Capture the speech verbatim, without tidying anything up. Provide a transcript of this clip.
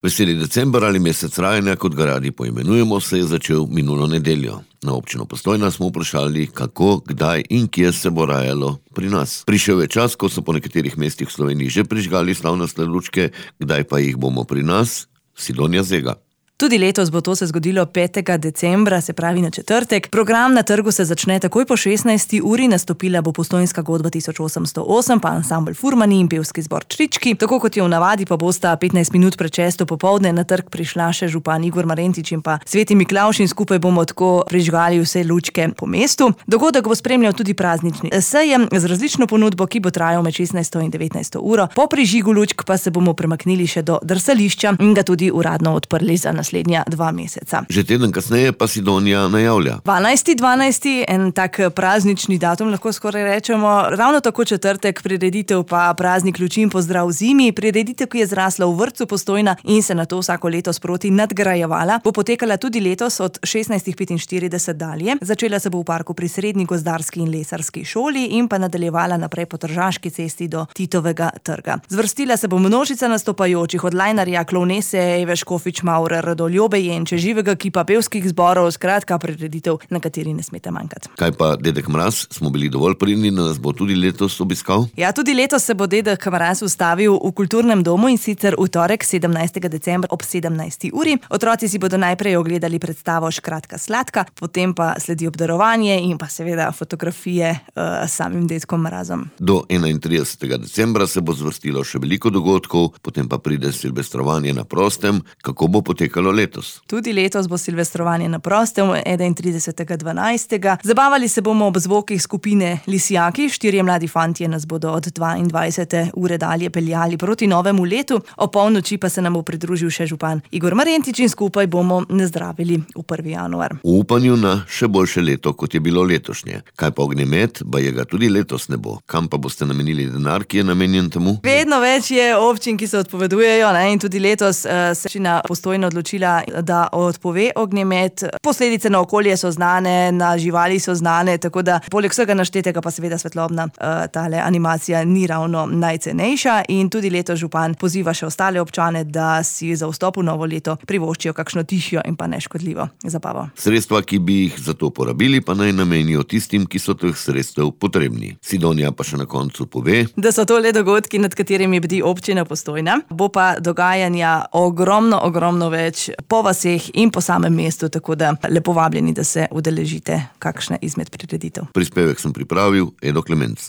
Veseli december ali mesec rajanja, kot ga radi poimenujemo, se je začel minulo nedeljo. Na občino Postojna smo vprašali, kako, kdaj in kje se bo rajalo pri nas. Prišel je čas, ko so po nekaterih mestih v Sloveniji že prižgali slavnostne lučke, kdaj pa jih bomo pri nas? Sidonja Zega. Tudi letos bo to se zgodilo petega decembra, se pravi na četrtek. Program na trgu se začne takoj po šestnajsti uri, nastopila bo Postojnska godba tisoč osemsto osem, pa ansambel Furmani in pevski zbor Črički. Tako kot je v navadi, pa bosta petnajst minut pred šesto popoldne na trg prišla še župan Igor Marentič in pa Sveti Miklavž in skupaj bomo tako prižgali vse lučke po mestu. Dogodek bo spremljal tudi praznični sejem z različno ponudbo, ki bo trajal med šestnajsto in devetnajsto uro. Po prižigu lučk pa se bomo premaknili še do drsališča in ga tudi uradno odprli za nas. Naslednja dva meseca. Že teden kasneje pa Sidonja najavlja. dvanajsti dvanajsti, en tak praznični datum, lahko skoraj rečemo, ravno tako četrtek, prireditev pa praznik luči in pozdrav zimi. Prireditev, ki je zrasla v vrtcu Postojna in se nato vsako leto sproti nadgrajevala, bo potekala tudi letos od šestnajst petinštirideset dalje. Začela se bo v parku pri Srednji gozdarski in lesarski šoli in pa nadaljevala naprej po Tržaški cesti do Titovega trga. Zvrstila se bo množica nastopajočih, od lajnarja, klovnese, Eve Škofič Maurer, do Ljobe Jenče, živega kipa, pevskih zborov, skratka prireditev, na kateri ne smete manjkati. Kaj pa dedek Mraz? Smo bili dovolj pridni, da nas bo tudi letos obiskal? Ja, tudi letos se bo dedek Mraz ustavil v kulturnem domu, in sicer v torek sedemnajstega decembra ob sedemnajsti uri. Otroci si bodo najprej ogledali predstavo Škratka sladka, potem pa sledi obdarovanje in pa seveda fotografije uh, s samim dedkom Mrazom. Do enaintridesetega decembra se bo zvrstilo še veliko dogodkov, potem pa pride silvestrovanje na prostem. Kako bo potekalo letos? Tudi letos bo silvestrovanje na prostem, enaintridesetega dvanajstega. Zabavali se bomo ob zvokih skupine Lisjaki, štirje mladi fantje nas bodo od dvaindvajsete ure dalje peljali proti novemu letu, o polnoči pa se nam bo pridružil še župan Igor Marentič in skupaj bomo nazdravili v prvi januar. V upanju na še boljše leto, kot je bilo letošnje. Kaj pa ognjemet? Baje ga tudi letos ne bo. Kam pa boste namenili denar, ki je namenjen temu? Vedno več je občin, ki se odpovedujejo, ne? In tudi letos uh, se občina Postojna odločila, da odpove ognjemet. Posledice na okolje so znane, na živali so znane, tako da poleg vsega naštetega pa seveda svetlobna uh, tale animacija ni ravno najcenejša. In tudi letos župan poziva še ostale občane, da si za vstop v novo leto privoščijo kakšno tišjo in pa neškodljivo zabavo. Sredstva, ki bi jih za to porabili, pa naj namenijo tistim, ki so teh sredstev potrebni. Sidonja pa še na koncu pove, da so to le dogodki, nad katerimi bdi občina Postojna. Bo pa dogajanja ogromno, ogromno več po vaseh in po samem mestu, tako da lepo vabljeni, da se udeležite kakšne izmed prireditev. Prispevek sem pripravil, Edo Klemenc.